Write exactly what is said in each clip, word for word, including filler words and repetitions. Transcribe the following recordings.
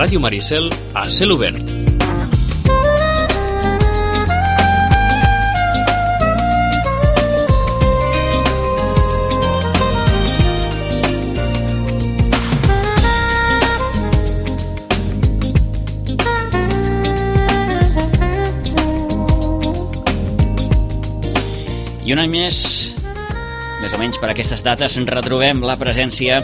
Ràdio Maricel a cel obert. I un any més, més o menys per aquestes dates, ens retrobem la presència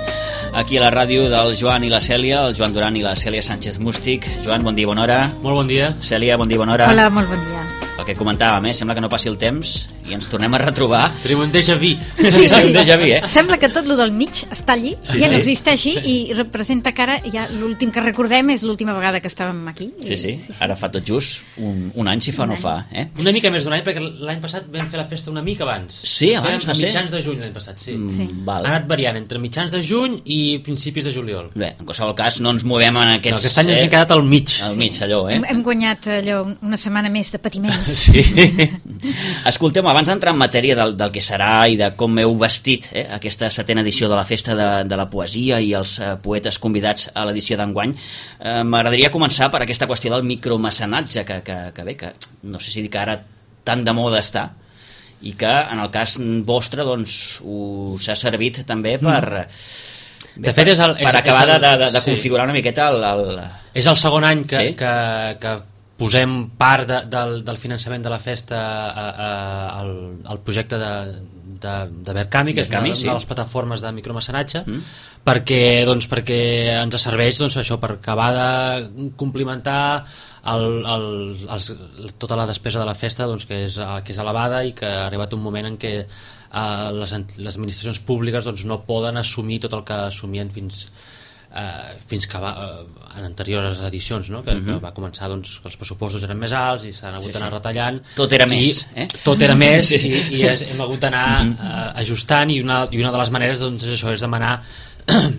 aquí a la ràdio del Joan i la Cèlia, el Joan Duran i la Cèlia Sánchez Mústic. Joan, bon dia, bona hora. Molt bon dia. Cèlia, bon dia, bona hora. Hola, molt bon dia. El que comentàvem, eh? Sembla que no passi el temps i ens tornem a retrobar. Tenim un déjà vu. Sí, sí, un déjà vu, eh? Sembla que tot lo del mig està allí, Sí, ja no sí. existeixi i representa que ara ja l'últim que recordem és l'última vegada que estàvem aquí. Sí, sí, I, ara fa tot just un, un any, si fa o Un no any. fa, eh? Una mica més d'un any, perquè l'any passat vam fer la festa una mica abans. Sí, abans Fèiem va a ser? mitjans de juny l'any passat, sí. Mm, Sí. Val. Ha anat variant entre mitjans de juny i principis de juliol. Bé, en qualsevol cas, no ens movem en Però aquests... aquest any ens eh, hem quedat al mig. Al mig, allò, eh? hem, hem guanyat allò una setmana més de patiments. Sí. Escolteu, abans d'entrar en matèria del, del que serà i de com heu vestit eh, aquesta setena edició de la Festa de, de la Poesia i els eh, poetes convidats a l'edició d'enguany, eh, m'agradaria començar per aquesta qüestió del micromecenatge, que, que, que bé, que no sé si dir que ara tan de moda està, i que en el cas vostre doncs, us ha servit també per... Bé, De fet, és el- per és- acabar és el- de, de, de sí. configurar una miqueta el... el... És el segon any que, Sí. que, que posem part de, del, del finançament de la festa a, a, al, al projecte de, de, de Verkami, que Verkami, és una, sí. una de les plataformes de micromecenatge, Mm. perquè, doncs, perquè ens serveix doncs, això per acabar de complementar el, el, els, tota la despesa de la festa, doncs, que, és, que és elevada i que ha arribat un moment en què eh, les, les administracions públiques doncs, no poden assumir tot el que assumien fins Uh, fins que va, uh, en anteriors edicions, no? que, uh -huh. que va començar doncs, que els pressupostos eren més alts i s'han hagut Sí, d'anar sí. retallant, Tot era i més, eh? tot era més Sí. i, i és, hem hagut d'anar uh, ajustant, i una, i una de les maneres doncs, és això, és demanar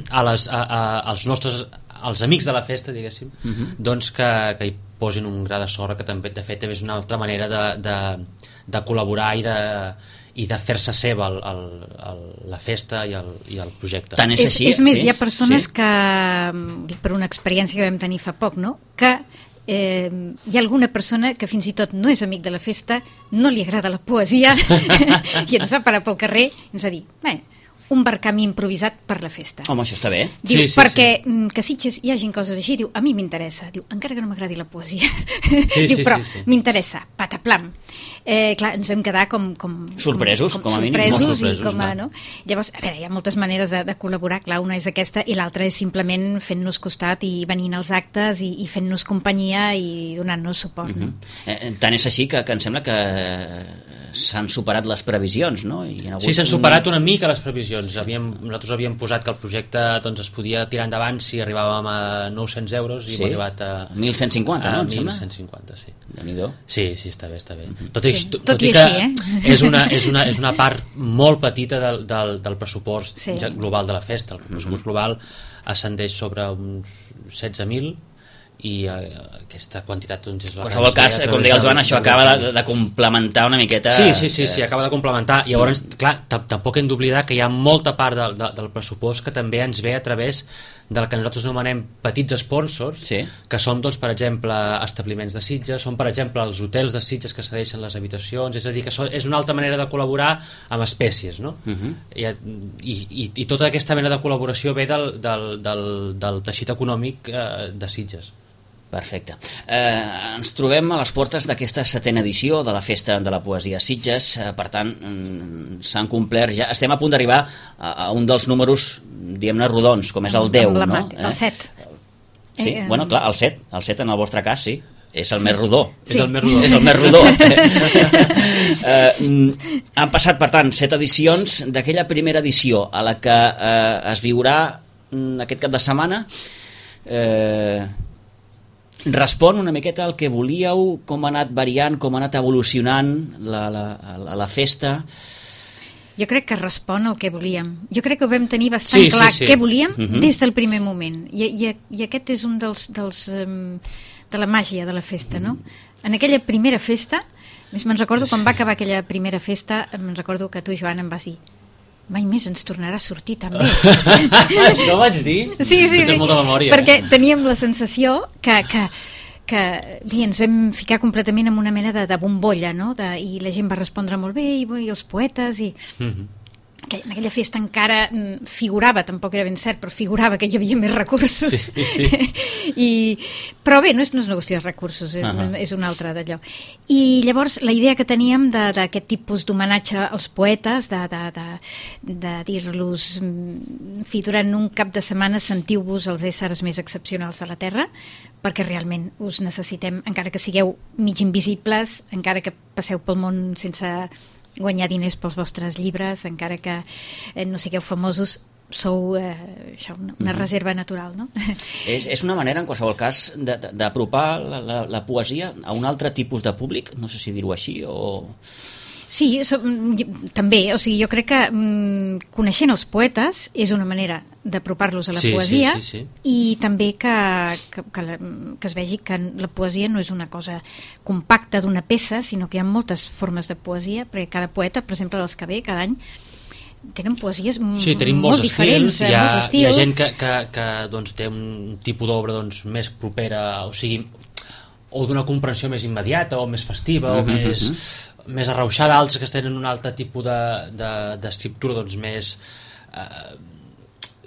a les, a, a, als nostres als amics de la festa, diguéssim, uh -huh. doncs que, que hi posin un gra de sorra, que també de fet és una altra manera de, de, de col·laborar i de i de fer-se seva el, el, el, la festa i el, i el projecte. Tant és, És, així, és més, sí? hi ha persones Sí. que, dic per una experiència que vam tenir fa poc, no? que eh, hi ha alguna persona que fins i tot no és amic de la festa, no li agrada la poesia i ens va parar pel carrer i ens va dir, bé, un Verkami improvisat per la festa. Home, això està bé. Diu, Sí, sí, perquè sí. que Sitges hi hagin coses així, diu, a mi m'interessa, diu, encara que no m'agradi la poesia, Sí, diu, sí, però sí, sí. m'interessa, pataplam. Eh, clar, ens vam quedar com... com Sorpresos, com a mínim, sorpresos, molt sorpresos, i com a, clar. no? Llavors, a veure, hi ha moltes maneres de, de col·laborar, clar, una és aquesta i l'altra és simplement fent-nos costat i venint als actes i, i fent-nos companyia i donant-nos suport. Uh no? -huh. eh, tant és així que, que em sembla que s'han superat les previsions, no? I hi ha hagut Sí, s'han un- superat una mica les previsions. Havíem, nosaltres havíem posat que el projecte doncs, es podia tirar endavant si arribàvem a nou-cents euros i Sí? hem arribat a... mil cent cinquanta, no, a em sembla? mil cent cinquanta, sí. Déu-n'hi-do. Sí, sí, està bé, està bé. Tot, i, Sí, tot, tot i i que així, eh? és, una, és, una, és una part molt petita del, del, del pressupost Sí. ja global de la festa. El pressupost global ascendeix sobre uns setze mil i eh, aquesta quantitat doncs, és la En qualsevol que ens cas, ve a com través deia el del- Joan, això del acaba Verkami. de, de complementar una miqueta... Sí, sí, sí, sí, eh, acaba de complementar. I llavors, clar, tam- tampoc hem d'oblidar que hi ha molta part del, del, del pressupost que també ens ve a través del que nosaltres anomenem petits sponsors, Sí. que són, doncs, per exemple, establiments de Sitges, són, per exemple, els hotels de Sitges que cedeixen les habitacions, és a dir, que són, és una altra manera de col·laborar amb espècies, no? Uh -huh. I, i, i, i tota aquesta mena de col·laboració ve del, del, del, del teixit econòmic eh, de Sitges. Perfecte. Eh, ens trobem a les portes d'aquesta setena edició de la Festa de la Poesia a Sitges, eh, per tant, mm, s'han complert ja... Estem a punt d'arribar a, a un dels números, diguem-ne, rodons, com és el deu, no? Emblemàtic, el set. Sí, Eh, bueno, clar, el set, el set en el vostre cas, sí. És el més rodó. Sí. És el més rodó. És el més rodó. eh, mm, han passat, per tant, set edicions. D'aquella primera edició a la que eh, es viurà mm, aquest cap de setmana, eh, respon una miqueta al que volíeu, com ha anat variant, com ha anat evolucionant la, la, la, la festa. Jo crec que respon al que volíem. Jo crec que ho vam tenir bastant Sí, sí, clar sí. què volíem Uh -huh. des del primer moment. I, i, i aquest és un dels, dels um, de la màgia de la festa, no? En aquella primera festa, més me'n recordo quan va acabar aquella primera festa, me'n recordo que tu, Joan, em vas dir mai més ens tornarà a sortir tan bé. No ho vaig dir? Sí, sí, Tens sí. molta memòria, perquè eh? teníem la sensació que, que, que bé, ens vam ficar completament en una mena de, de bombolla, no? De, i la gent va respondre molt bé, i, i els poetes, i... Mm-hmm. que en aquella festa encara mm, figurava, tampoc era ben cert, però figurava que hi havia més recursos. Sí, sí, sí. I, però bé, no és, no és una qüestió de recursos, és, Uh-huh. és una altra d'allò. I llavors la idea que teníem de- d'aquest tipus d'homenatge als poetes, de, de, de, de dir-los, mm, en fi, durant un cap de setmana sentiu-vos els éssers més excepcionals de la Terra, perquè realment us necessitem, encara que sigueu mig invisibles, encara que passeu pel món sense guanyar diners pels vostres llibres, encara que eh, no sigueu famosos, sou eh, això, una, una reserva natural, no? És, és una manera, en qualsevol cas, de- de- d'apropar la, la, la poesia a un altre tipus de públic, no sé si dir-ho així, o... Sí, so, mm, també, o sigui, jo crec que mm, coneixent els poetes és una manera d'apropar-los a la Sí, poesia, sí, sí, sí. i també que, que, que, la, que es vegi que la poesia no és una cosa compacta d'una peça, sinó que hi ha moltes formes de poesia, perquè cada poeta, per exemple, dels que ve cada any, tenen poesies m- Sí, tenim molt molts diferents, estils, eh, hi ha, molts hi ha estils. gent que, que, que doncs, té un tipus d'obra doncs, més propera, o sigui, o d'una comprensió més immediata, o més festiva, o Mhm, més, més arrauxada, altres que tenen un altre tipus de- de- d'escriptura doncs, més... Eh,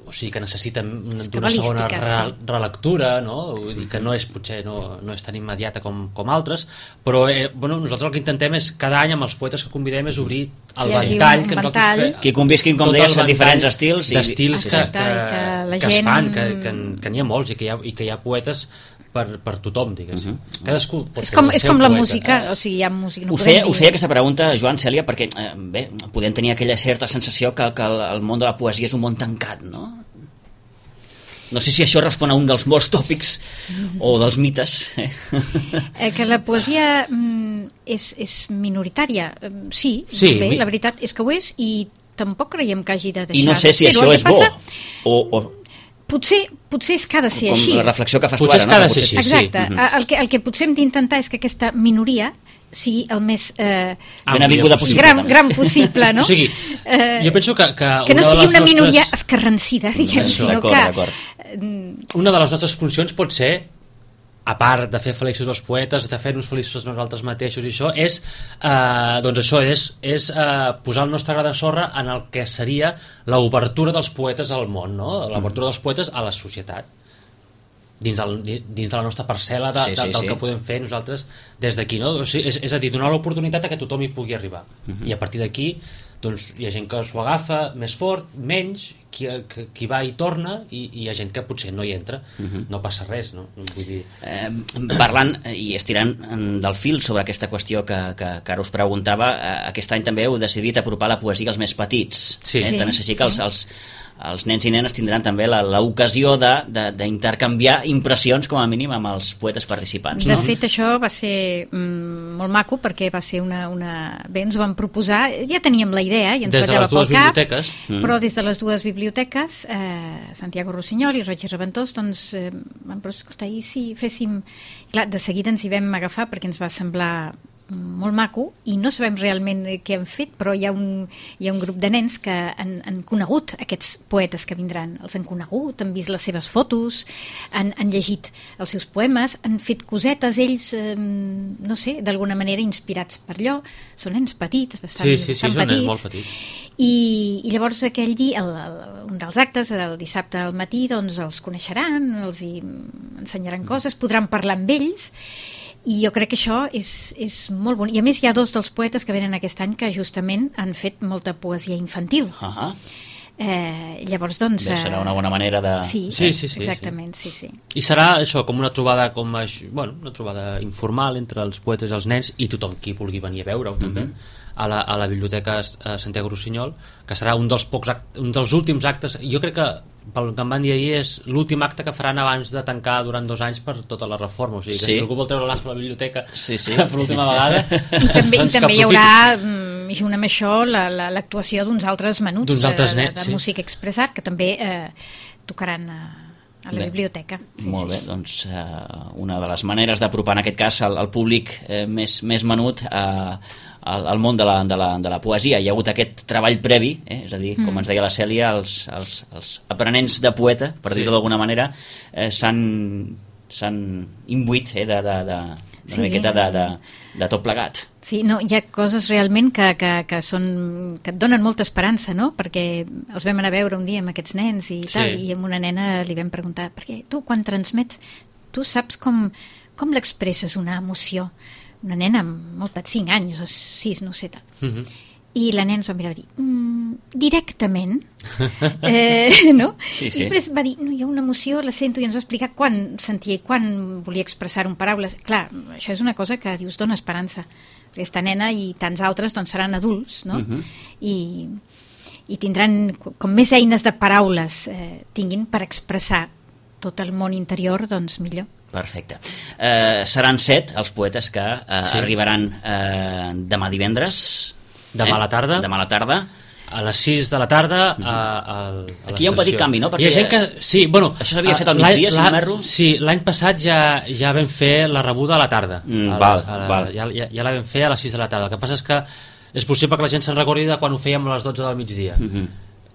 o sigui, que necessiten una- d'una segona cabalística, re, relectura, no? Vull dir que no és, potser no, no és tan immediata com, com altres, però eh, bueno, nosaltres el que intentem és, cada any amb els poetes que convidem, és obrir el hi hagi ventall un que nosaltres... ventall. Que, Que convisquin, com tot deies, el en diferents ventall estils i- d'estils que, Exacte, que, i que la que es gent- fan, que, que, que n'hi ha molts i que hi ha, i que hi ha poetes per, per tothom, diguéssim. Cadascú pot És ser com, el és seu com la poeta. música, o sigui, hi ha música... No Us podem feia, dir- us feia aquesta pregunta, Joan, Cèlia, perquè eh, bé, podem tenir aquella certa sensació que, que el, el món de la poesia és un món tancat, no? No sé si això respon a un dels molts tòpics o dels mites. Eh? Eh, que la poesia mm, és, és minoritària. Eh, Sí, Sí, bé, mi- la veritat és que ho és, i tampoc creiem que hagi de deixar I no sé de si ser-ho. això El que és bo. passa- O, o Potser, potser és que ha de ser com així. la reflexió que fas Potser tu és ara, que ha no? de ser Potser- així, sí. Exacte. Mhm. El, que, el que potser hem d'intentar és que aquesta minoria sigui el més eh, Ben avinguda possible. gran, també. gran possible, no? O sigui, Eh, jo penso que... Que, que no una de sigui les una nostres- minoria escarransida, diguem, Això, sinó d'acord, que... d'acord. Una de les nostres funcions pot ser, a part de fer feliços els poetes, de fer-nos feliços nosaltres mateixos i això, és, eh, doncs això, és, és eh, posar el nostre gra de sorra en el que seria l'obertura dels poetes al món, no? L'obertura dels poetes a la societat, dins, del, dins de la nostra parcel·la de, Sí, de, sí, del sí. que podem fer nosaltres des d'aquí, no? O sigui, és, és a dir, donar l'oportunitat a que tothom hi pugui arribar. Mhm. I a partir d'aquí doncs, hi ha gent que s'ho agafa més fort, menys, qui, qui, qui va i torna, i, i hi ha gent que potser no hi entra. Mhm. No passa res, no? Vull dir... Eh, parlant i estirant en- del fil sobre aquesta qüestió que, que, que ara us preguntava, eh, aquest any també heu decidit apropar la poesia als més petits. Sí. Eh? Sí, Tant és així que els, sí. els, els nens i nenes tindran també la- l'ocasió de- de- d'intercanviar impressions, com a mínim, amb els poetes participants. De No? fet, això va ser mm, molt maco, perquè va ser una, una... Bé, ens ho van proposar, ja teníem la idea i ens Des de ballava les dues pel cap, biblioteques. Mm. però des de les dues biblioteques, eh, Santiago Rossinyol i Roig i Reventós, doncs eh, van proposar, escolta, i si féssim... Clar, de seguida ens hi vam agafar perquè ens va semblar molt maco, i no sabem realment què han fet, però hi ha un, hi ha un grup de nens que han, han conegut aquests poetes que vindran, els han conegut, han vist les seves fotos, han, han llegit els seus poemes, han fet cosetes ells, eh, no sé, d'alguna manera inspirats per allò. Són nens petits, bastant, Sí, sí, sí, bastant són nens petits. molt petits. I, i llavors aquell dia, el, el, un dels actes, el dissabte al matí, doncs els coneixeran, els hi ensenyaran coses, podran parlar amb ells, i jo crec que això és, és molt bonic. I a més hi ha dos dels poetes que venen aquest any que justament han fet molta poesia infantil. Uh-huh. Eh, llavors, doncs... Bé, serà una bona manera de... Sí, Sí, sí, sí, exactament, sí, sí. I serà això, com una trobada com això, bueno, una trobada informal entre els poetes i els nens i tothom qui vulgui venir a veure-ho també, a la, a la biblioteca eh, Santiago Rossinyol, que serà un dels pocs act, un dels últims actes. Jo crec que pel que em van dir ahir és l'últim acte que faran abans de tancar durant dos anys per tota la reforma, o sigui que Sí. si algú vol treure l'as per la biblioteca Sí, sí. per l'última vegada I també, doncs i també que hi haurà, aprofiti. mm, junt amb això, la- la- l'actuació d'uns altres menuts D'uns altres de, de, nens, de sí. música expressat, que també eh, tocaran a, a la Bé, biblioteca. Sí, Molt sí. bé, doncs eh, una de les maneres d'apropar en aquest cas al, al públic eh, més, més menut a, al, al món de la, de, la, de la poesia. Hi ha hagut aquest treball previ, eh? És a dir, com ens deia la Cèlia, els, els, els aprenents de poeta, per dir-ho d'alguna manera, eh, s'han s'han imbuït eh, de, de, de, de Sí. una miqueta de, de, de tot plegat. Sí, no, hi ha coses realment que, que, que, són, que et donen molta esperança, no? Perquè els vam anar a veure un dia amb aquests nens i tal, Sí. i amb una nena li vam preguntar, perquè tu quan transmets, tu saps com, com l'expresses una emoció? Una nena amb molt petit, cinc anys o sis, no sé tal. Mhm. I la nena ens va mirar i va dir, mm, directament, eh, no? Sí, sí. I després va dir, no, hi ha una emoció, la sento, i ens va explicar quan sentia i quan volia expressar-ho en paraules. Clar, això és una cosa que dius, dona esperança. Aquesta nena i tants altres doncs, seran adults, no? Mhm. I, i tindran, com més eines de paraules eh, tinguin per expressar tot el món interior, doncs millor. Perfecte. Eh, seran set els poetes que eh, Sí. arribaran eh, demà divendres. Demà a la tarda. Demà a la tarda. A les sis de la tarda a, a, a Aquí hi ha un petit l'estació. canvi, no? Perquè Hi ha gent que... Sí, bueno... això s'havia a- fet al l'any- migdia, si no l'any- m'erro. Sí, l'any passat ja ja vam fer la rebuda a la tarda. Mm, a, val, a, val. Ja, ja, ja la vam fer a les sis de la tarda. El que passa és que és possible que la gent se'n recordi de quan ho fèiem a les dotze del migdia. Mhm.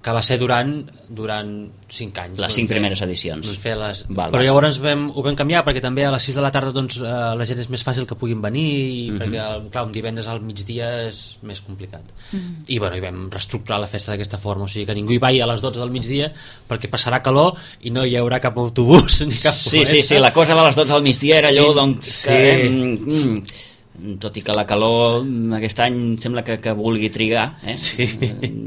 Que va ser durant durant cinc anys. Les Vam cinc fer- primeres edicions. vam fer les... Val, Però val. llavors vam, ho vam canviar perquè també a les sis de la tarda doncs, eh, la gent és més fàcil que puguin venir i Mhm. perquè clar, un divendres al migdia és més complicat. I, bueno, i vam reestructurar la festa d'aquesta forma, o sigui que ningú hi vagi a les dotze del migdia perquè passarà calor i no hi haurà cap autobús ni cap Sí, sí, furgoneta. sí, la cosa de les dotze al migdia era allò, Sí, doncs, sí. que, eh, mm, mm, tot i que la calor mm, aquest any sembla que, que vulgui trigar, eh? Sí.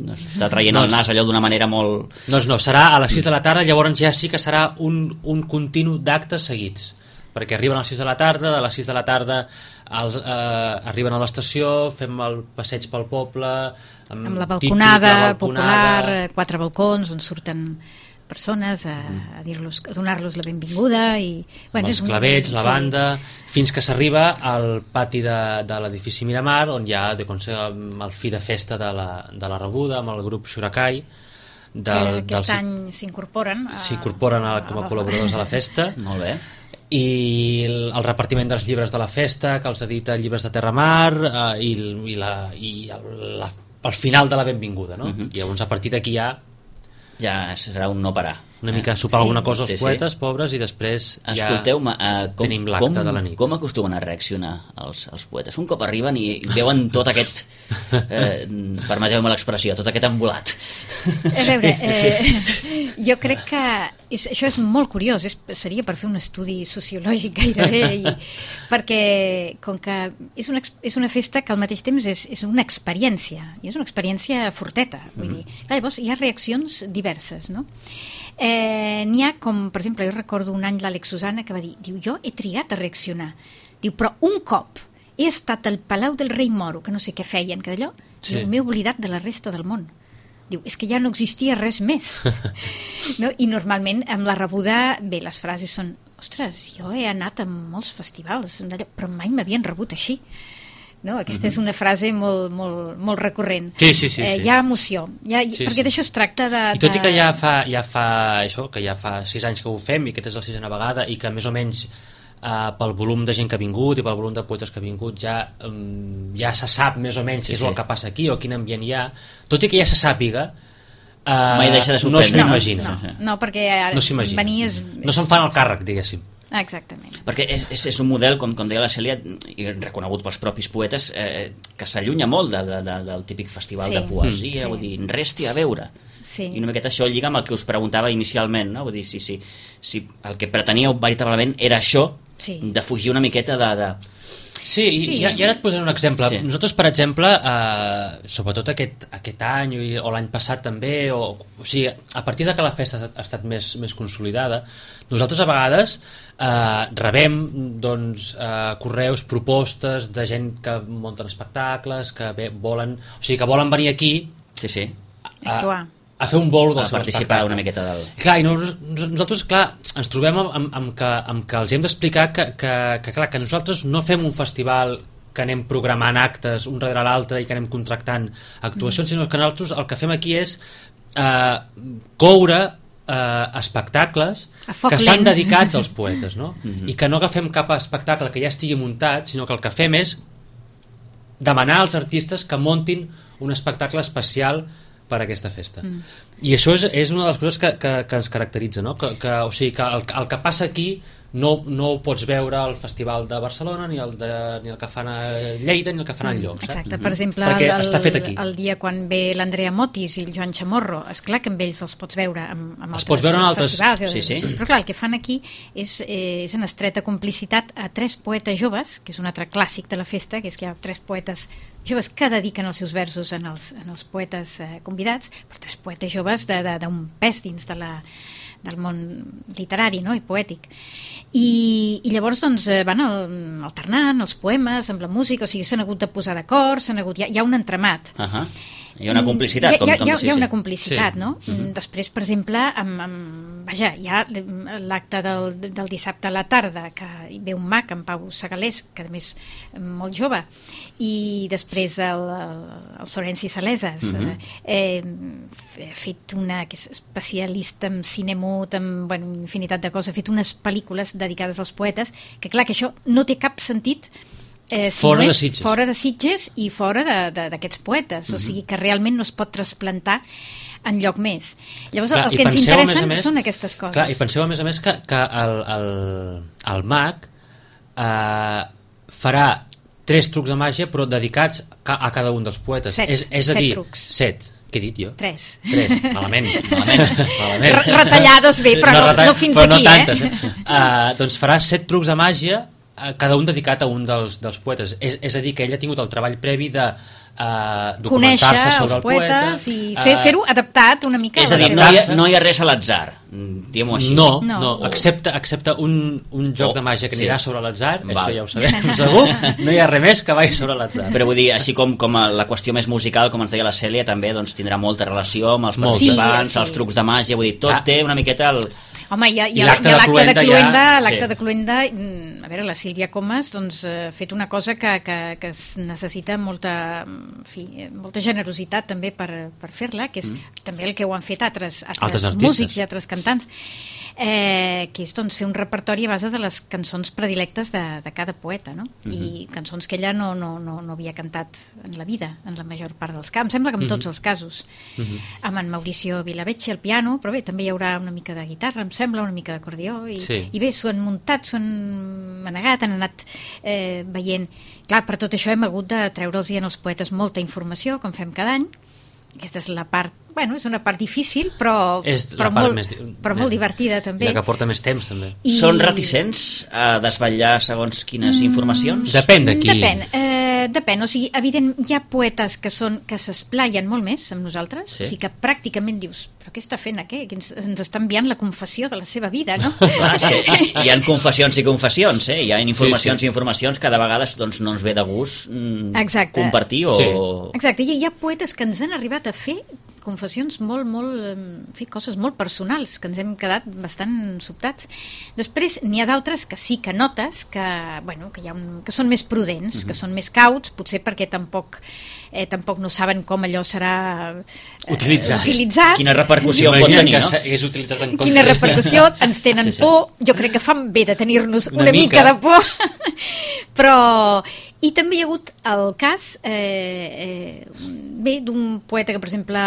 No, està traient No, el nas allò d'una manera molt... Doncs no, serà a les sis de la tarda, llavors ja sí que serà un, un continu d'actes seguits, perquè arriben a les sis de la tarda, de les sis de la tarda els, eh, arriben a l'estació, fem el passeig pel poble, amb, Amb la típic, balconada, la balconada popular, eh, quatre balcons on surten persones a, a, dir-los, a donar-los la benvinguda i, amb els és un- clavells, la sí. banda, fins que s'arriba al pati de, de l'edifici Miramar, on hi ha de, com sé, el fi de festa de la, de la rebuda, amb el grup Shurakai, que del, aquest dels- any s'incorporen a- s'incorporen a- com a col·laboradors a la festa. Molt bé. I el, el repartiment dels llibres de la festa, que els edita Llibres de Terra Mar, eh, i, i, la, i el, la, el final de la benvinguda, no? Mhm. I llavors a partir d'aquí ja Ja serà un no parar. una mica sopar Sí. alguna cosa als Sí, sí. poetes pobres i després ja Escolteu-me, uh, com, tenim l'acte com, de la nit. com acostumen a reaccionar els, els poetes? Un cop arriben i veuen tot aquest, eh, permeteu-me l'expressió, tot aquest embolat. A veure, eh, jo crec que és, això és molt curiós, és, seria per fer un estudi sociològic gairebé, i, perquè com que és una, ex- és una festa que al mateix temps és, és una experiència, i és una experiència forteta, vull dir, clar, llavors hi ha reaccions diverses, no? Eh, n'hi ha com, per exemple, jo recordo un any l'Àlex Susana que va dir, diu, jo he trigat a reaccionar, diu, però un cop he estat al Palau del Rei Moro, que no sé què feien, que d'allò, Sí. diu, m'he oblidat de la resta del món. Diu, és que ja no existia res més. No? I normalment amb la rebuda, bé, les frases són, ostres, jo he anat a molts festivals, d'allò, però mai m'havien rebut així. No? Aquesta és una frase molt, molt, molt recurrent. Sí, sí, sí, Eh, sí. Hi ha emoció, hi ha, Sí, perquè sí. d'això es tracta de... I tot i de- que ja fa, ja fa això, que ja fa sis anys que ho fem i aquesta és la sisena vegada i que més o menys eh, pel volum de gent que ha vingut i pel volum de poetes que ha vingut ja, um, ja se sap més o menys Sí, què és sí. el que passa aquí o quin ambient hi ha, tot i que ja se sàpiga eh, Mai deixa de no sorprendre. s'ho imagina No, Sí, sí. no, perquè ara no s'imagina venir és... no se'n fan el càrrec, diguéssim. Ah, exactament. Perquè és, és, és un model, com, com deia la Cèlia, i reconegut pels propis poetes, eh, que s'allunya molt de, de, de, del típic festival Sí. de poesia, Mm. vull dir, resti a veure. Sí. I una miqueta això lliga amb el que us preguntava inicialment, no? Vull dir, si, si, si el que preteníeu veritablement era això, Sí. de fugir una miqueta de... de... Sí, i, Sí. i, i ara et posaré un exemple. Sí. Nosaltres, per exemple, eh, sobretot aquest, aquest any i- o l'any passat també, o, o sigui, a partir de que la festa ha estat més, més consolidada, nosaltres a vegades eh, rebem doncs, eh, correus, propostes de gent que munten espectacles, que bé, volen, o sigui, que volen venir aquí Sí, sí. a, Actuar. a fer un bolo del A seu participar espectacle. una miqueta del... Clar, i nos, nosaltres, clar, ens trobem amb, amb, amb, que, amb que els hem d'explicar que, que, que, clar, que nosaltres no fem un festival que anem programant actes un darrere l'altre i que anem contractant actuacions, mm. sinó que nosaltres el que fem aquí és eh, coure eh, espectacles A foc que estan lent. dedicats als poetes, no? Mm -hmm. I que no agafem cap espectacle que ja estigui muntat, sinó que el que fem és demanar als artistes que montin un espectacle especial per a aquesta festa. Mm. I això és, és una de les coses que, que, que ens caracteritza, no? que, que, o sigui, que el, el que passa aquí no, no ho pots veure al Festival de Barcelona, ni el, de, ni el que fan a Lleida, ni el que fan enlloc. Exacte, saps? per exemple, Perquè el, està fet aquí. el dia quan ve l'Andrea Motis i el Joan Chamorro, és clar que amb ells els pots veure amb, amb els altres pots veure en altres... festivals, sí, sí. però clar, el que fan aquí és, eh, és en estreta complicitat a tres poetes joves, que és un altre clàssic de la festa, que és que hi ha tres poetes joves que dediquen els seus versos en els, en els poetes eh, convidats, però tres poetes joves d'un pes dins de la, del món literari, no?, i poètic. I, i llavors doncs, van alternant els poemes amb la música, o sigui, s'han hagut de posar d'acord, s'han hagut... Hi ha, hi ha un entremat. Uh -huh. Hi ha una complicitat. Hi ha, com, hi ha, com, hi ha, sí, hi ha una sí. complicitat, Sí. no? Uh-huh. Després, per exemple, amb, amb, vaja, hi ha l'acte del, del dissabte a la tarda, que hi ve un mag, en Pau Segalés, que a més molt jove, i després el, el Florenci Saleses, uh-huh. eh, ha fet una, que és especialista en cine mut, en bueno, infinitat de coses, ha fet unes pel·lícules dedicades als poetes, que clar que això no té cap sentit Eh, si fora, no de és Sitges. fora de Sitges i fora d'aquests poetes, mm-hmm. o sigui que realment no es pot trasplantar en lloc més. Llavors clar, el que ens interessen més, són aquestes coses. Clar, i penseu a més a més que, que el, el, el mag eh, farà tres trucs de màgia però dedicats a cada un dels poetes. Set, és, és a set dir, trucs. Set. Què he dit jo? Tres. Tres, malament. malament, malament. Retallades bé, però no, retall... no fins però aquí, no tantes, eh? eh? Uh, doncs farà set trucs de màgia, cada un dedicat a un dels, dels poetes. És, és a dir, que ell ha tingut el treball previ de uh, documentar-se sobre el poeta. I fer, uh, fer-ho adaptat una mica és a a la dir, seva... no hi ha, no hi ha res a l'atzar, diguem-ho així. No, no, no, excepte, excepte un, un joc Oh, de màgia que sí. anirà sobre l'atzar, Val. això ja ho sabem, segur, no hi ha res més que vagi sobre l'atzar. Però vull dir, així com, com la qüestió més musical, com ens deia la Cèlia, també doncs, tindrà molta relació amb els Molt. participants, Sí, sí. els trucs de màgia, vull dir, tot Ah. té una miqueta el... Home, hi ha, hi I ha, l'acte hi ha de l'acte de Cluenda Cluenda, ja- l'acte sí. de Cluenda, mm, a veure, la Sílvia Comas doncs, ha fet una cosa que, que, que es necessita molta, en fi, molta generositat també per, per fer-la, que és mm. també el que ho han fet altres, altres, Altres artistes. músics i altres cantants, eh, que és doncs, fer un repertori a base de les cançons predilectes de, de cada poeta, no? Mm-hmm. I cançons que ella no, no, no, no havia cantat en la vida, en la major part dels casos. Em sembla que en tots mm-hmm. els casos. Mm-hmm. Amb en Mauricio Vilavecchi al piano, però bé, també hi haurà una mica de guitarra, em sembla, una mica d'acordió, i, Sí. i bé, s'ho han muntat, s'ho han manegat, han anat eh, veient. Clar, per tot això hem hagut de treure'ls en els poetes molta informació, com fem cada any. Aquesta és la part, bueno, és una part difícil, però, És però, la part molt, més, però més, molt divertida també. I la que porta més temps també. I... Són reticents a desvetllar segons quines informacions? Depèn de qui. Depèn, eh, depèn, o sigui, evident, hi ha poetes que són que s'esplaien molt més amb nosaltres, Sí. o sigui que pràcticament dius, però què està fent aquí? Que ens, ens està enviant la confessió de la seva vida, no? Clar, és que hi ha confessions i confessions, eh? Hi ha informacions Sí, sí. i informacions que de vegades doncs, no ens ve de gust mm, Exacte. compartir o... Sí. Exacte, i hi ha poetes que ens han arribat a fer confessions molt, molt, en fi, coses molt personals, que ens hem quedat bastant sobtats. Després n'hi ha d'altres que sí que notes que, bueno, que, hi ha un, que són més prudents, uh-huh. que són més cauts, potser perquè tampoc, eh, tampoc no saben com allò serà eh, Utilitzat. utilitzat. Quina repercussió pot Imagina't tenir, que no? s'hagués utilitzat en Quina contra. repercussió, ens tenen Sí, sí. por, jo crec que fan bé de tenir-nos una, Una mica. mica. de por, però... I també hi ha hagut el cas eh, eh, bé, d'un poeta que, per exemple,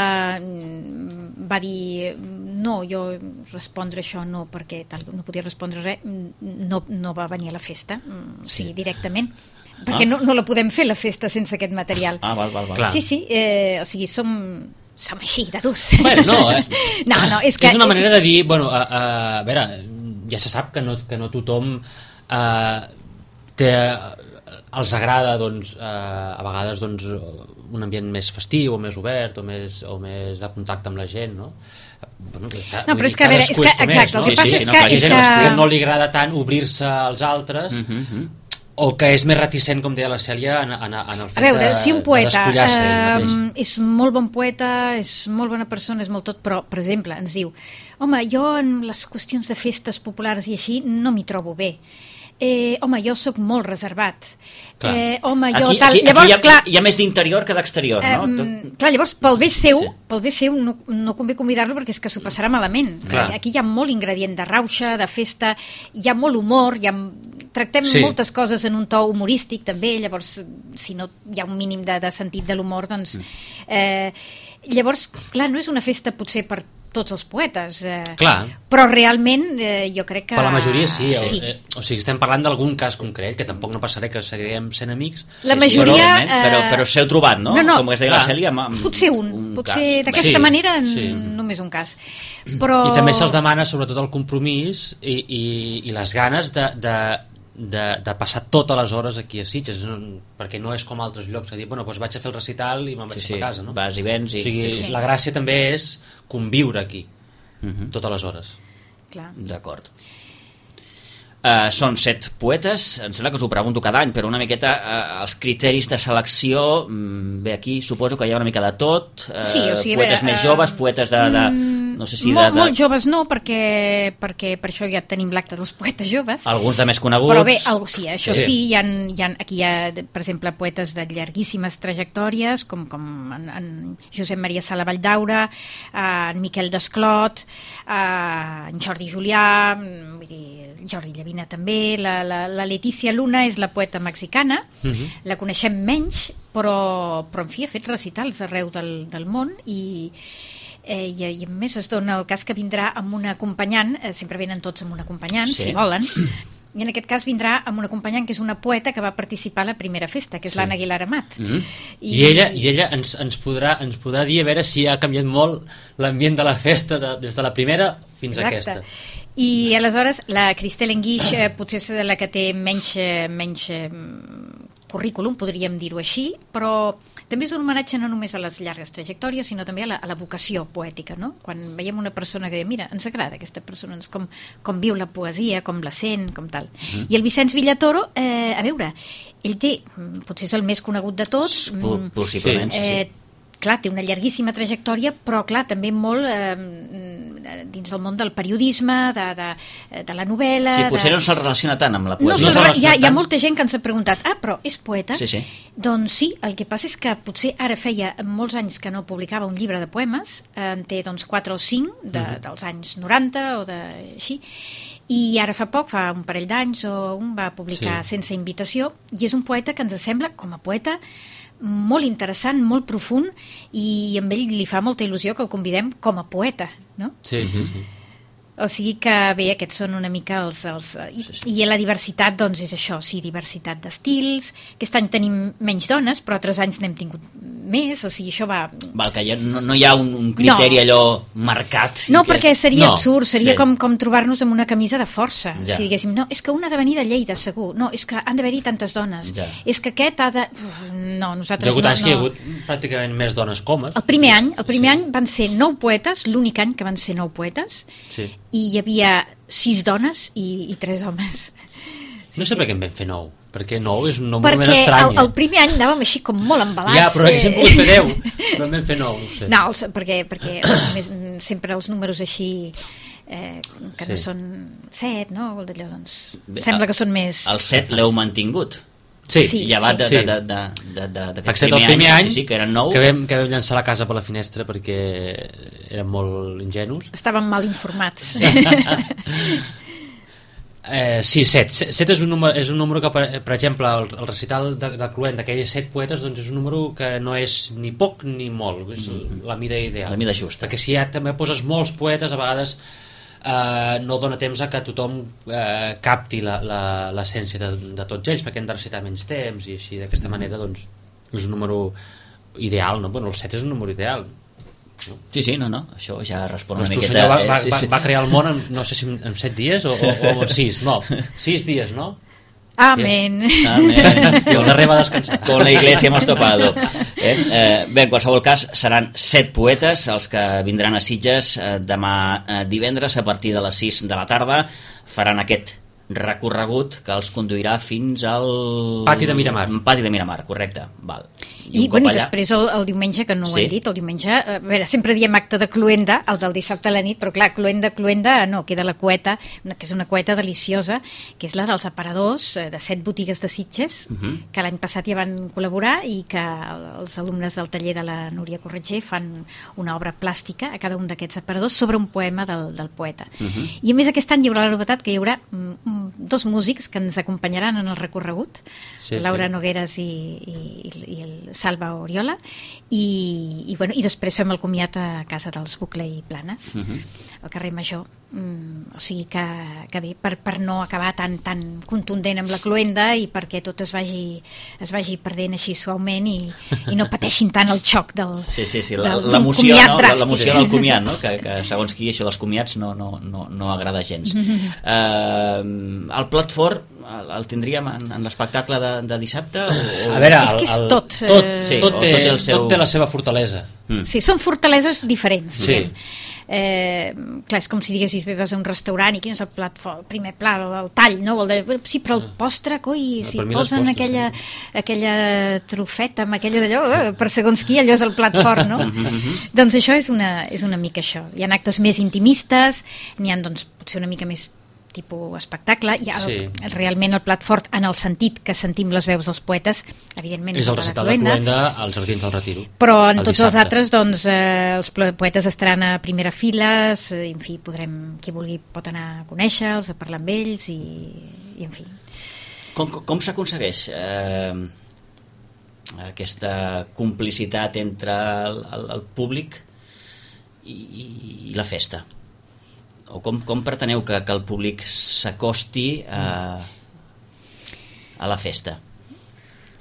va dir no, jo respondre això no, perquè tal, no podia respondre res, no, no va venir a la festa, o sigui, directament, perquè Ah. no, no la podem fer, la festa, sense aquest material. Ah, val, val, val. Clar. Sí, sí, eh, o sigui, som... som així, de durs. Bueno, no, eh? no, no, és que... és una manera de dir, bueno, a, a, a veure, ja se sap que no, que no tothom eh, té, els agrada, doncs, eh, a vegades, doncs, un ambient més festiu o més obert o més, o més de contacte amb la gent, no? Bueno, clar, No, vull però dir, és que, a veure, cadascú és que, com exacte, el no? que passa sí, és no, que... clar, Hi ha és gent que... que no li agrada tant obrir-se als altres, Uh -huh, uh -huh. o que és més reticent, com deia la Cèlia, en, en, en el fet A veure, de, si un de poeta despullar-se ell eh, mateix. és molt bon poeta, és molt bona persona, és molt tot, però, per exemple, ens diu home, jo en les qüestions de festes populars i així no m'hi trobo bé. Eh, home, jo sóc molt reservat. Clar. Eh, home, jo aquí, tal... aquí, llavors, aquí hi, ha, clar, hi ha més d'interior que d'exterior, no? eh, Tot... clar, llavors, pel bé seu, Sí. sí. pel bé seu no, no convé convidar-lo perquè és que s'ho passarà malament. Clar. Aquí hi ha molt ingredient de rauxa, de festa, hi ha molt humor, hi ha... tractem Sí. moltes coses en un to humorístic també, llavors si no hi ha un mínim de, de sentit de l'humor, doncs... Eh, llavors, clar, no és una festa potser per tots els poetes, eh, Clar. però realment eh, jo crec que... Per la majoria sí, o, sí. eh, o sigui, estem parlant d'algun cas concret, que tampoc no passarà que seguirem sent amics. La Sí, majoria... sí, però, però, eh, però s'heu trobat, no? no, no, Com es deia la clar. Cèlia, amb, amb Potser un, un potser cas. d'aquesta Sí, manera n- sí. només un cas. Però... I també se'ls demana sobretot el compromís i, i, i les ganes de, de, de, de passar totes les hores aquí a Sitges, no, perquè no és com altres llocs, a dir, bueno, doncs vaig a fer el recital i me'n vaig Sí, sí, a casa, no? vas i vens i... O sigui, sí, sí. la gràcia també és conviure aquí, Mhm. totes les hores. Clar. D'acord. Uh, són set poetes, em sembla que us ho pregunto cada any, però una miqueta uh, els criteris de selecció, mm, bé, aquí suposo que hi ha una mica de tot, uh, Sí, o sigui, a poetes veure, més eh, joves, poetes de, de no sé si de, molt, de, molt joves no, perquè, perquè per això ja tenim l'acte dels poetes joves. alguns de més coneguts. Però bé, algo, sí, això Sí. sí, sí hi ha, hi ha, aquí hi ha, per exemple, poetes de llarguíssimes trajectòries, com, com en, en Josep Maria Sala Valldaura, en Miquel Desclot, en Jordi Julià, vull dir, Jordi Llavina també, la, la, la Letícia Luna és la poeta mexicana, Mhm. la coneixem menys, però, però en fi, ha fet recitals arreu del, del món i, eh, i, i a més es dona el cas que vindrà amb un acompanyant, eh, sempre venen tots amb un acompanyant, Sí. si volen, i en aquest cas vindrà amb un acompanyant que és una poeta que va participar a la primera festa, que és Sí. l'Anna Aguilar Amat. Mhm. I, ella, i ella ens, ens, podrà, ens podrà dir a veure si ha canviat molt l'ambient de la festa de, des de la primera fins a Exacte. aquesta. I aleshores la Cristel Enguix eh, potser és de la que té menys, eh, menys eh, currículum, podríem dir-ho així, però també és un homenatge no només a les llargues trajectòries, sinó també a la, a la vocació poètica, no? Quan veiem una persona que diu, mira, ens agrada aquesta persona, ens com, com viu la poesia, com la sent, com tal. Mm. I el Vicenç Villatoro, eh, a veure, ell té, potser és el més conegut de tots, Po- mm, possiblement, sí, sí. eh, clar, té una llarguíssima trajectòria, però clar, també molt eh, dins del món del periodisme, de, de, de la novel·la... Sí, potser de... no se'l relaciona tant amb la No, poesia. no, se'l hi, ha, hi ha relaciona molta gent que ens ha preguntat, ah, però és poeta? Sí, sí. Doncs sí, el que passa és que potser ara feia molts anys que no publicava un llibre de poemes, en té doncs quatre o cinc de, uh -huh. dels anys noranta o de, així, i ara fa poc, fa un parell d'anys o un, va publicar Sí. Sense invitació, i és un poeta que ens sembla, com a poeta, molt interessant, molt profund, i amb ell li fa molta il·lusió que el convidem com a poeta, no? Sí, sí, sí. O sigui que, bé, aquests són una mica els... els i, i la diversitat, doncs, és això, sí, diversitat d'estils. Aquest any tenim menys dones, però altres anys n'hem tingut més, o sigui, això va... Val, que ja no, no hi ha un, un criteri No. allò marcat. i No, que... perquè seria No, absurd, seria sí. com, com trobar-nos amb una camisa de força. Ja. Si diguéssim, no, és que una ha de venir de Lleida, segur. No, és que han d'haver-hi tantes dones. Ja. És que aquest ha de... Uf, no, Hi nosaltres ha hagut no... anys que hi ha no. hagut pràcticament més dones comes. El primer any, el primer Sí. any van ser nou poetes, l'únic any que van ser nou poetes, Sí. i hi havia sis dones i, i tres homes. No sé per què en vam fer nou, perquè nou és un nombre més Perquè estrany. el, el primer any anàvem així com molt embalats. Ja, però haguéssim eh. pogut fer deu, però en vam fer nou, no ho sé. No, els, perquè, perquè més, sempre els números així eh, que no Sí. són set, no? Vol dir allò, doncs, Bé, sembla el- que són més... El set l'heu mantingut. Sí, Sí. Llevat de, sí. de, de, de, de, de, d'aquest excepte el primer any, sí, sí, que eren nou. que, vam, que vam llançar la casa per la finestra perquè érem molt ingenus. Estaven mal informats. Eh, sí, set. Set és un número, és un número que, per, per exemple, el, el recital de, de Cluent d'aquells set poetes doncs és un número que no és ni poc ni molt, és la mida ideal. La mida justa. Perquè si ja també poses molts poetes, a vegades eh, no dona temps a que tothom eh, capti la- la- l'essència de, de tots ells, perquè hem de recitar menys temps i així, d'aquesta manera, doncs, és un número ideal, no? Bueno, el set és un número ideal. Sí, sí, no, no, això ja respon una Doncs tu, miqueta... senyor, va, eh, va, sí, va, sí. va crear el món, en, no sé si en, en set dies o, o, o en sis, no, sis dies, no? Amén. Amén. I el darrer va descansar. Con la iglesia hemos topado. Eh? Eh, bé, en qualsevol cas, seran set poetes els que vindran a Sitges eh, demà eh, divendres a partir de les sis de la tarda. Faran aquest recorregut que els conduirà fins al... Pati de Miramar. Pati de Miramar, correcte. Val. I, I, bueno, i després el, el diumenge, que no ho sí. hem dit, el diumenge, a veure, sempre diem acte de cluenda, el del dissabte a la nit, però clar, cluenda, cluenda, no, queda la cueta, una, que és una cueta deliciosa, que és la dels aparadors de set botigues de Sitges, uh -huh. que l'any passat ja van col·laborar i que els alumnes del taller de la Núria Corretger fan una obra plàstica a cada un d'aquests aparadors sobre un poema del, del poeta. Uh -huh. I a més aquest any hi haurà la novetat que hi haurà mm, dos músics que ens acompanyaran en el recorregut, sí, Laura sí. Nogueres i, i, i el Salva Oriola, i, i, bueno, i després fem el comiat a casa dels Bucle i Planes, uh-huh. al carrer Major. Mm, o sigui que, que bé, per, per no acabar tan, tan contundent amb la cluenda i perquè tot es vagi, es vagi perdent així suaument i, i no pateixin tant el xoc del, sí, sí, sí. del, l'emoció, del no? dràstic. L'emoció del comiat, no? que, que segons qui això dels comiats no, no, no, no agrada gens. Uh, el plat fort el, el tindríem en, en l'espectacle de, de dissabte? O, o... A veure, és que és el, tot. Tot, eh... sí, tot, té, tot, té el seu... tot té la seva fortalesa. Mm. Sí, són fortaleses diferents. Sí. Eh, clar, és com si diguessis vas a un restaurant i quin és el plat fort, el primer plat, el, el tall, no? El de, sí, però el postre, coi, no, si posen postres, aquella, sí. aquella trufeta amb aquella d'allò, eh, per segons qui, allò és el plat fort, no? Doncs això és una, és una mica això. Hi ha actes més intimistes, n'hi ha, doncs, potser una mica més tipus espectacle, i el, sí. realment el plat fort en el sentit que sentim les veus dels poetes, evidentment és el recital de Cluenda als Jardins del Retiro, però en tots dissabte. Els altres doncs, eh, els poetes estaran a primera fila, eh, en fi, podrem, qui vulgui pot anar a conèixer-los, a parlar amb ells i, i en fi. Com, com s'aconsegueix eh, aquesta complicitat entre el, el, el públic i, i, i la festa? O com, com preteneu que, que el públic s'acosti a, a la festa?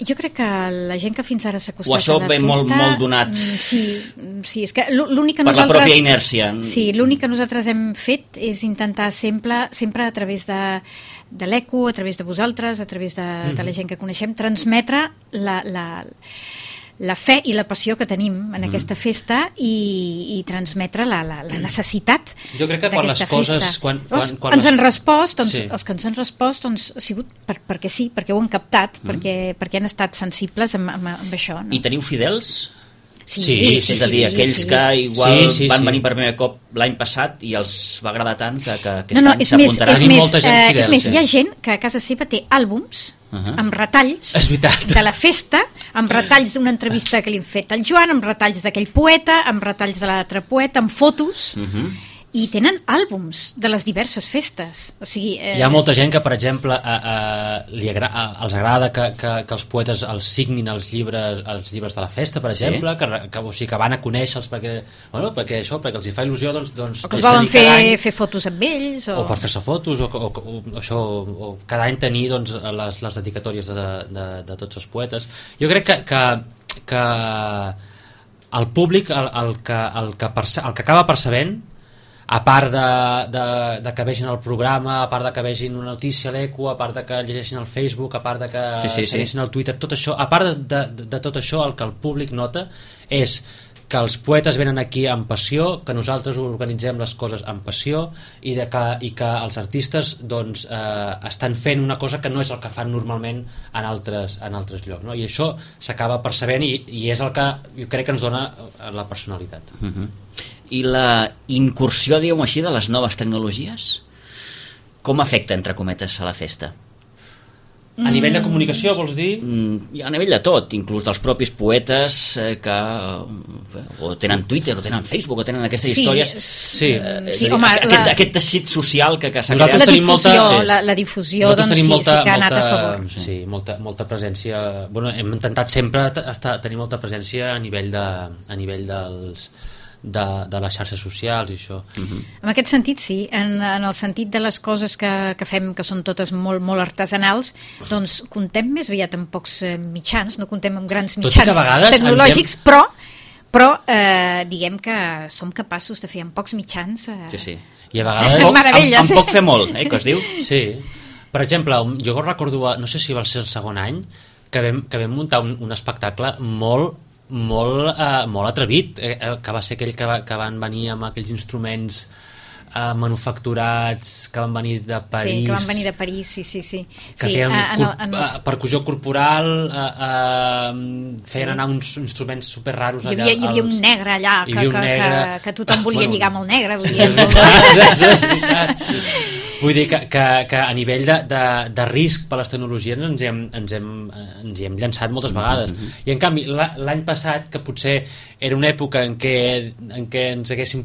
Jo crec que la gent que fins ara s'ha acostat o això a la ve festa... molt, molt donat sí, sí, és que l'únic que per nosaltres... la pròpia inèrcia. Sí, l'únic que nosaltres hem fet és intentar sempre, sempre a través de, de l'eco, a través de vosaltres, a través de, mm-hmm. de la gent que coneixem, transmetre la... la la fe i la passió que tenim en mm. aquesta festa i, i transmetre la, la, la necessitat jo crec que quan les coses quan, quan, quan ens les... han respost doncs, sí. els que ens han respost doncs, ha sigut per, perquè sí, perquè ho han captat mm. perquè, perquè han estat sensibles amb, amb, amb això, no? I teniu fidels? Sí, sí, sí, sí, és sí, a dir, sí, aquells sí. que igual sí, sí, van sí. venir per primer cop l'any passat i els va agradar tant que, que aquest no, no, any és s'apuntaran. més, és més, molta gent eh, fidel, és més sí. hi ha gent que a casa seva té àlbums uh-huh. amb retalls de la festa, amb retalls d'una entrevista que li han fet al Joan, amb retalls d'aquell poeta, amb retalls de l'altre poeta, amb fotos, uh-huh. i tenen àlbums de les diverses festes. O sigui, eh... hi ha molta gent que, per exemple, a, a, li agra a, els agrada que, que, que els poetes els signin els llibres, els llibres de la festa, per sí. exemple, que, que, o sigui, que van a conèixer-los perquè, bueno, perquè això, perquè els hi fa il·lusió, doncs... doncs o que es volen fer, fer fotos amb ells, o... o per fer-se fotos, o, o, o, o, això, o cada any tenir doncs, les, les dedicatòries de, de, de tots els poetes. Jo crec que, que, que el públic, el, el, que, el, que perce el que acaba percebent, a part de, de, de que vegin el programa, a part de que vegin una notícia a l'Eco, a part de que llegeixin el Facebook, a part de que sí, sí, segueixin sí. el Twitter, tot això, a part de, de, de tot això, el que el públic nota és que els poetes venen aquí amb passió, que nosaltres organitzem les coses amb passió i, de que, i que els artistes doncs, eh, estan fent una cosa que no és el que fan normalment en altres, en altres llocs, no? I això s'acaba percebent i, i és el que jo crec que ens dona la personalitat. Uh-huh. I la incursió, diguem-ho així, de les noves tecnologies com afecta, entre cometes, a la festa? A nivell de comunicació, vols dir? Mm, a nivell de tot, inclús dels propis poetes eh, que eh, o tenen Twitter, o tenen Facebook, o tenen aquestes sí, històries. Sí, eh, sí dir, home, aquest, la... aquest teixit social que, que s'ha Nosaltres creat. La tenim difusió, molta, sí. la, la difusió doncs, sí, molta, sí que ha anat molta, a favor. Sí, sí molta, molta presència. Bueno, hem intentat sempre estar, tenir molta presència a nivell, de, a nivell dels... De, de les xarxes socials i això. Uh-huh. En aquest sentit sí, en, en el sentit de les coses que, que fem, que són totes molt, molt artesanals, doncs contem més aviat amb pocs eh, mitjans, no contem amb grans mitjans tecnològics, hem... però, però eh, diguem que som capaços de fer amb pocs mitjans eh... sí, sí. I a vegades amb, amb, amb poc fer molt, eh, que es diu. Sí, per exemple, jo recordo, no sé si va ser el segon any que vam, que vam muntar un, un espectacle molt molt, eh, molt atrevit, eh, que va ser aquell que, va, que van venir amb aquells instruments uh, manufacturats que van venir de París, sí, que van venir de París, sí, sí, sí. que sí, feien en, cor- en els... percussió corporal, uh, uh, feien Sí. anar uns instruments super raros Hi allà. havia, hi havia un als- negre allà hi que, havia un que, negre. que, que tothom volia Bueno, lligar amb el negre, vull Sí, dir, és veritat, és veritat. Vull dir que, que, que a nivell de, de, de risc per les tecnologies ens hi hem, ens hem, ens hi hem llançat moltes vegades. Mm-hmm. I en canvi, la- l'any passat, que potser era una època en què, en què ens haguéssim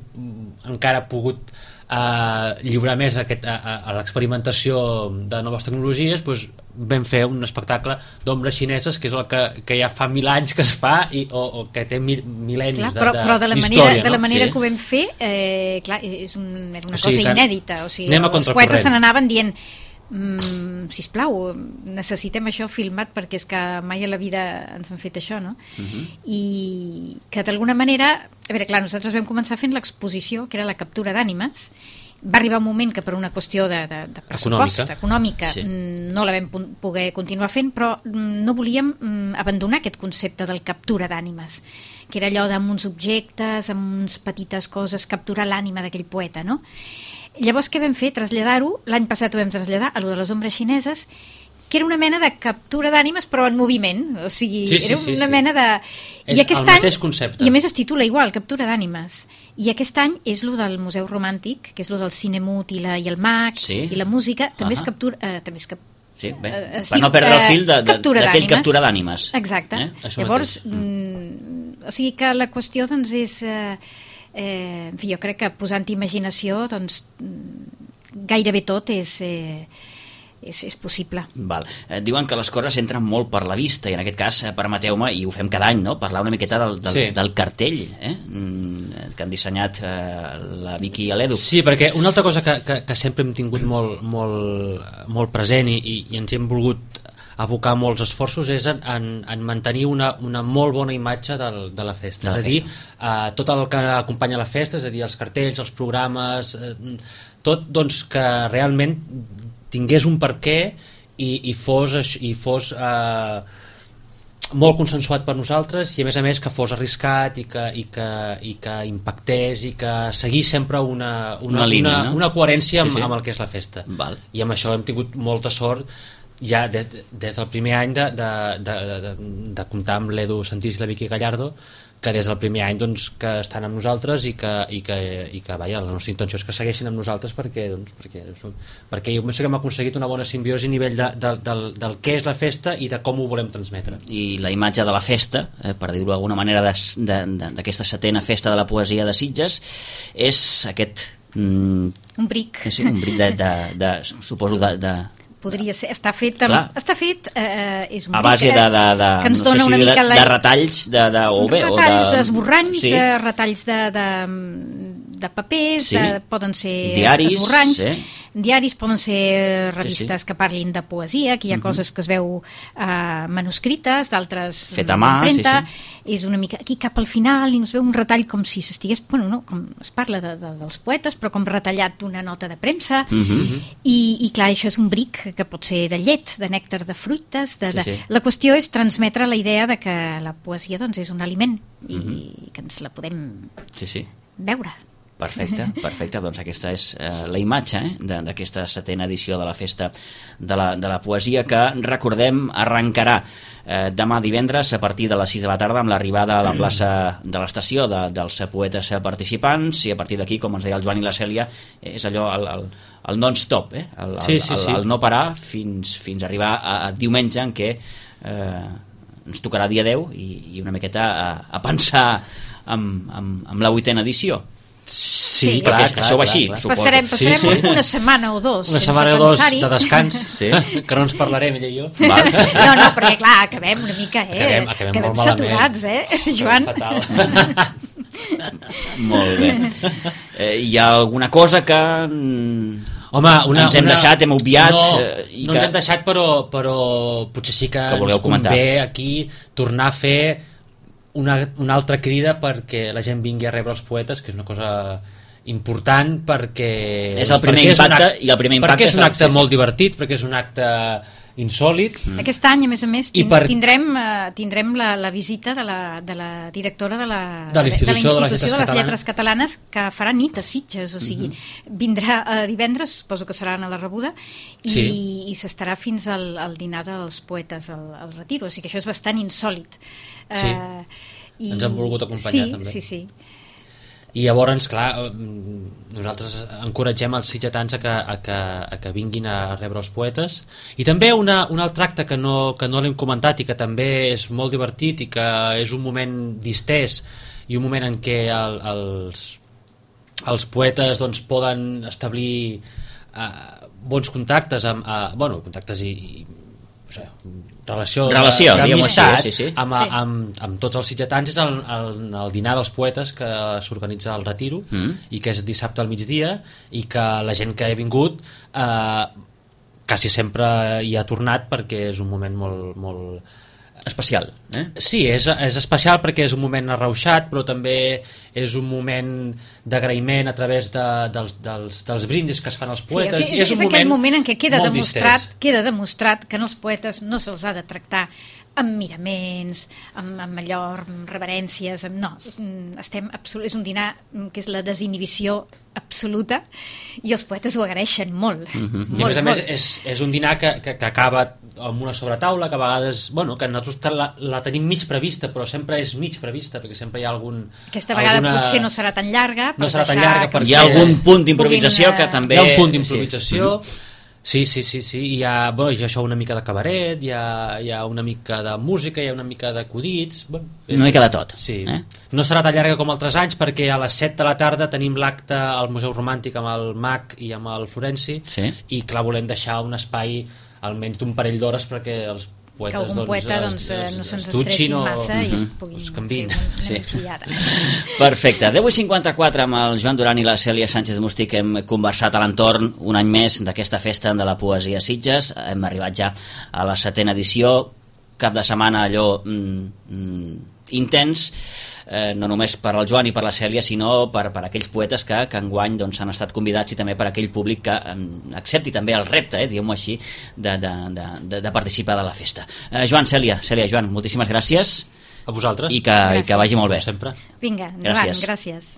encara pogut uh, lliurar més a, aquest, a, a, a l'experimentació de noves tecnologies, doncs vam fer un espectacle d'ombres xineses, que és el que, que ja fa mil anys que es fa i, o, o que té mil, mil·lennis clar, de, però, de, però de la manera, d'història, de la no? manera Sí. que ho vam fer, eh, clar, és un, era una O sigui cosa que inèdita, o sigui, anem a els contracorrent. poetes se n'anaven dient mm, sisplau, necessitem això filmat perquè és que mai a la vida ens han fet això, no? Mhm. I que d'alguna manera, a veure, clar, nosaltres vam començar fent l'exposició, que era la captura d'ànimes. Va arribar un moment que per una qüestió de, de, de pressupost, Econòmica. econòmica, Sí. mm, no la vam pu- poder continuar fent, però mm, no volíem mm, abandonar aquest concepte del captura d'ànimes, que era allò d'amb uns objectes, amb uns petites coses, capturar l'ànima d'aquell poeta, no? Llavors què vam fer? Traslladar-ho, l'any passat ho vam traslladar a lo de les ombres xineses, que era una mena de captura d'ànimes però en moviment, o sigui, Sí, sí, era sí, una sí. mena de... És el mateix concepte. I a més es titula igual, captura d'ànimes. I aquest any és lo del Museu Romàntic, que és lo del cine mut i, la, i el mag, Sí. i la música, també Ahà. és captura... Eh, també és cap, Sí, bé, eh, es per diu, no perdre el eh, fil de- de- captura d'aquell d'ànimes. captura d'ànimes. Exacte. Eh? Això Llavors, mateix. mm, o sigui que la qüestió doncs és... Eh, eh, en fi, jo crec que posant imaginació doncs mm, gairebé tot és... Eh, és, és possible. Val. Eh, diuen que les coses entren molt per la vista i en aquest cas, eh, permeteu-me, i ho fem cada any, no? Parlar una miqueta del, del, Sí. del cartell eh? mm, que han dissenyat eh, la Vicky i l'Edu. Sí, perquè una altra cosa que, que, que sempre hem tingut molt, molt, molt present i, i, i ens hem volgut abocar molts esforços és en, en, en mantenir una, una molt bona imatge del, de la festa. De la és a dir, eh, tot el que acompanya la festa, és a dir, els cartells, els programes, eh, tot doncs, que realment tingués un per què i, i fos, aix- i fos eh, molt consensuat per nosaltres i a més a més que fos arriscat i que, i que, i que impactés i que seguís sempre una, una, Una línia, una, no? una coherència Sí, amb, sí. amb el que és la festa. Val. I amb això hem tingut molta sort ja des, des del primer any de, de, de, de, de comptar amb l'Edu Santís i la Vicky Gallardo, que des del primer any doncs, que estan amb nosaltres i que, i que, i que vaja, la nostra intenció és que segueixin amb nosaltres perquè, doncs, perquè, perquè jo penso que hem aconseguit una bona simbiosi a nivell de, de, del, del què és la festa i de com ho volem transmetre. I la imatge de la festa, eh, per dir-ho d'alguna manera, des- de- de- d'aquesta setena festa de la poesia de Sitges, és aquest... Mm, Un bric. sí, un bric de, de, de, suposo, de... de Podria ser, està fet amb, Clar. està fet eh, és un a bric, base de, de, de, que ens no sé dona si una de, mica la, de retalls de, de, o bé, retalls, o de, esborranys, sí. eh, retalls de, de, de papers, Sí. de, poden ser Diaris, esborranys, eh? diaris, poden ser revistes Sí, sí. que parlin de poesia, que hi ha uh -huh. coses que es veu eh, manuscrites, d'altres Fet a mà, d'impremta. sí, És una mica aquí cap al final i es veu un retall com si s'estigués, bueno, no, com es parla de, de, dels poetes, però com retallat d'una nota de premsa. Uh -huh. I, i clar, això és un bric que pot ser de llet, de nèctar de fruites de, Sí, de... sí. La qüestió és transmetre la idea de que la poesia doncs, és un aliment i Mhm. que ens la podem Sí, sí. veure. Perfecte, perfecte. Doncs aquesta és eh, la imatge eh, de- d'aquesta setena edició de la Festa de la, de la Poesia, que, recordem, arrencarà eh, demà divendres a partir de les sis de la tarda amb l'arribada a la plaça de l'estació de, dels poetes participants, i a partir d'aquí, com ens deia el Joan i la Cèlia, eh, és allò, el, el, el non-stop, eh? el, el, Sí, sí, el, sí. el no parar fins, fins a arribar a, a diumenge, en què eh, ens tocarà dia deu i, i una miqueta a, a pensar amb, amb, amb la vuitena edició. Sí, Sí. clar, Perquè clar, això va clar, així, clar. suposo. Passarem, passarem Sí, sí. una setmana o dos Una sense setmana o dos pensar-hi. de descans, Sí. que no ens parlarem, ella i jo. Val. No, no, perquè clar, acabem una mica, eh? Acabem- acabem molt saturats, malament. eh, Joan? Fatal. Molt bé. Eh, hi ha alguna cosa que... mm, Home, una, ens hem una... deixat, hem obviat... No, eh, i no que... ens hem deixat, però, però potser sí que, Que voleu ens convé comentar. aquí tornar a fer una, una altra crida perquè la gent vingui a rebre els poetes, que és una cosa important perquè... És el primer perquè un impacte, acte, i el primer impacte perquè és és un el- acte sí, sí. molt divertit, perquè és un acte insòlid. Mm. Aquest any, a més a més, tin per... tindrem, uh, tindrem la, la visita de la, de la directora de la, de la Institució de, de, les, de les Lletres Catalanes, que farà nit a Sitges, o sigui, uh-huh. vindrà uh, divendres, suposo que serà a la rebuda, i, sí. i s'estarà fins al, al dinar dels poetes al, al Retiro, o sigui que això és bastant insòlid. Sí, uh, i... ens han volgut acompanyar sí, també. Sí, sí, I llavors, clar, nosaltres encoratgem els sitgetans a que, a que, a que vinguin a rebre els poetes. I també una, un altre acte que no, que no l'hem comentat i que també és molt divertit i que és un moment distès i un moment en què el, els, els poetes doncs, poden establir uh, bons contactes amb, uh, bueno, contactes i, i o sigui, relació, relació d'amistat sí, sí. amb, sí. amb, amb tots els sitgetans. És el, el, el dinar dels poetes que s'organitza al Retiro mm. i que és dissabte al migdia, i que la gent que ha vingut eh, quasi sempre hi ha tornat perquè és un moment molt, molt especial, eh? Sí, és, és especial perquè és un moment arrauxat, però també és un moment d'agraïment a través de, dels, dels, dels brindis que es fan als poetes. Sí, o sigui, és, és, és un aquell moment, moment en què queda demostrat, distès. queda demostrat que als poetes no se'ls ha de tractar amb miraments, amb, amb allò, amb reverències, amb, no, estem absolut, és un dinar que és la desinhibició absoluta, i els poetes ho agraeixen molt. Mm-hmm. molt I a més a més molt. és, és un dinar que, que, que acaba amb una sobretaula, que a vegades, bueno, que nosaltres la, la tenim mig prevista, però sempre és mig prevista, perquè sempre hi ha algun... Aquesta vegada alguna... potser no serà tan llarga, no serà tan llarga perquè... Hi ha algun punt d'improvisació que també... Hi ha un punt d'improvisació, sí. Sí, sí, sí, sí. Hi ha, bueno, hi ha això, una mica de cabaret, hi ha, hi ha una mica de música, hi ha una mica d'acudits... Bueno, una mica de tot. Sí. Eh? No serà tan llarga com altres anys, perquè a les set de la tarda tenim l'acte al Museu Romàntic amb el Mac i amb el Florenci, sí. i clar, volem deixar un espai almenys d'un parell d'hores perquè els poetes, que algun doncs, poeta es, doncs, es, no se'ns es dutxin estressin o massa i es puguin es canviïn. fer una Sí. migdiada. Perfecte. deu i cinquanta-quatre amb el Joan Duran i la Cèlia Sánchez Mustí, que hem conversat a l'entorn un any més d'aquesta festa de la poesia a Sitges. Hem arribat ja a la setena edició, cap de setmana allò mm, mm, intens, eh, no només per al Joan i per la Cèlia, sinó per, per aquells poetes que, que enguany doncs, han estat convidats, i també per aquell públic que eh, accepti també el repte, eh, diguem-ho així, de, de, de, de, de participar de la festa. Eh, Joan, Cèlia, Cèlia, Joan, moltíssimes gràcies. A vosaltres. I que, i que vagi molt bé. Sempre. Vinga, endavant, Gràcies. gràcies.